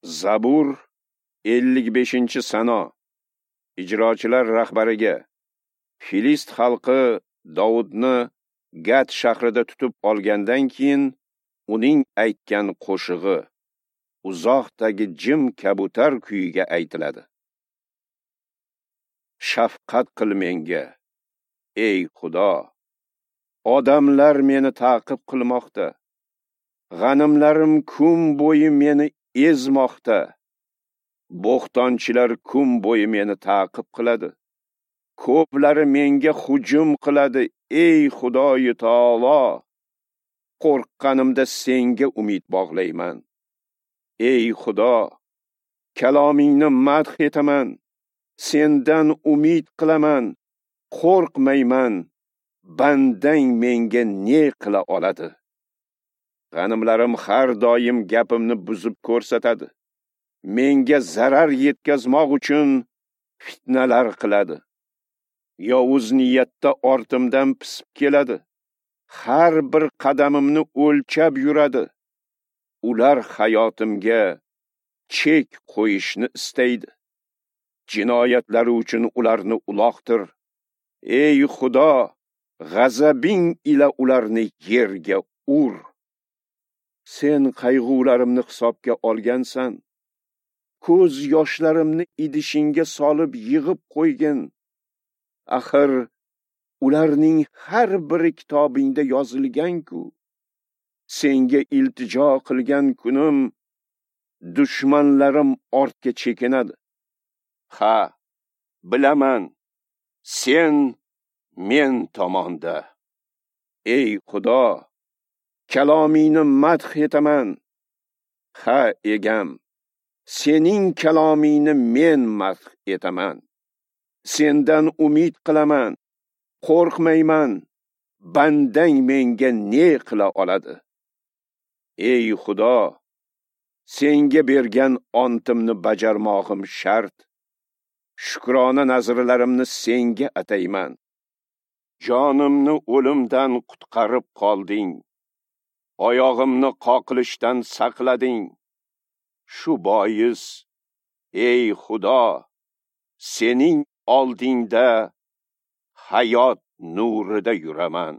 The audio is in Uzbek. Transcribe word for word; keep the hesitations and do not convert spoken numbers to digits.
Zabur ellik beshinchi sano. Ijrochilar rahbariga. Filist xalqi Dovudni Gat shahrida tutib olgandan keyin uning aytgan qo'shig'i uzoqdagi jim kabutar kuyiga aytiladi. Shafqat qil menga, ey Xudo. Odamlar meni ta'qib qilmoqda. G'animlarim kun bo'yi meni ezmoqda. Bo'xtonchilar kun bo'yi meni ta'qib qiladi. Ko'plari menga hujum qiladi, ey Xudoyi taolo. Qo'rqqanimda senga umid bog'layman. Ey Xudo, kalomingni madh etaman. Sendan umid qilaman, qo'rqmayman. Bandang menga ne qila oladi? G'animlarim har doim gapimni buzib ko'rsatadi. Menga zarar yetkazmoq uchun fitnalar qiladi. Yovuz niyatda ortimdan pisib keladi. Har bir qadamimni o'lchab yuradi. Ular hayotimga chek qo'yishni istaydi. Jinoyatlari uchun ularni uloqtir. Ey Xudo, g'azabing ila ularni yerga ur. Sen qayg'ularimni hisobga olgansan. Ko'z yoshlarimni idishingga solib yig'ib qo'ygin. Axir ularning har biri kitobingda yozilgan-ku. Senga iltijo qilgan kunim dushmanlarim ortga chekinadi. Ha, bilaman, sen men tomonda. Ey Xudo, kalomingni madh etaman. Ha, egam, sening kalomingni men madh etaman. Sendan umid qilaman, qo'rqmayman. Bandang menga ne qila oladi? Ey Xudo, senga bergan ontimni bajarmog'im shart. Shukrona nazrlarimni senga atayman. Jonimni o'limdan qutqarib qolding. Oyog'imni qoqilishdan saqlading. Shu bois, ey Xudo, sening oldingda hayot nurida yuraman.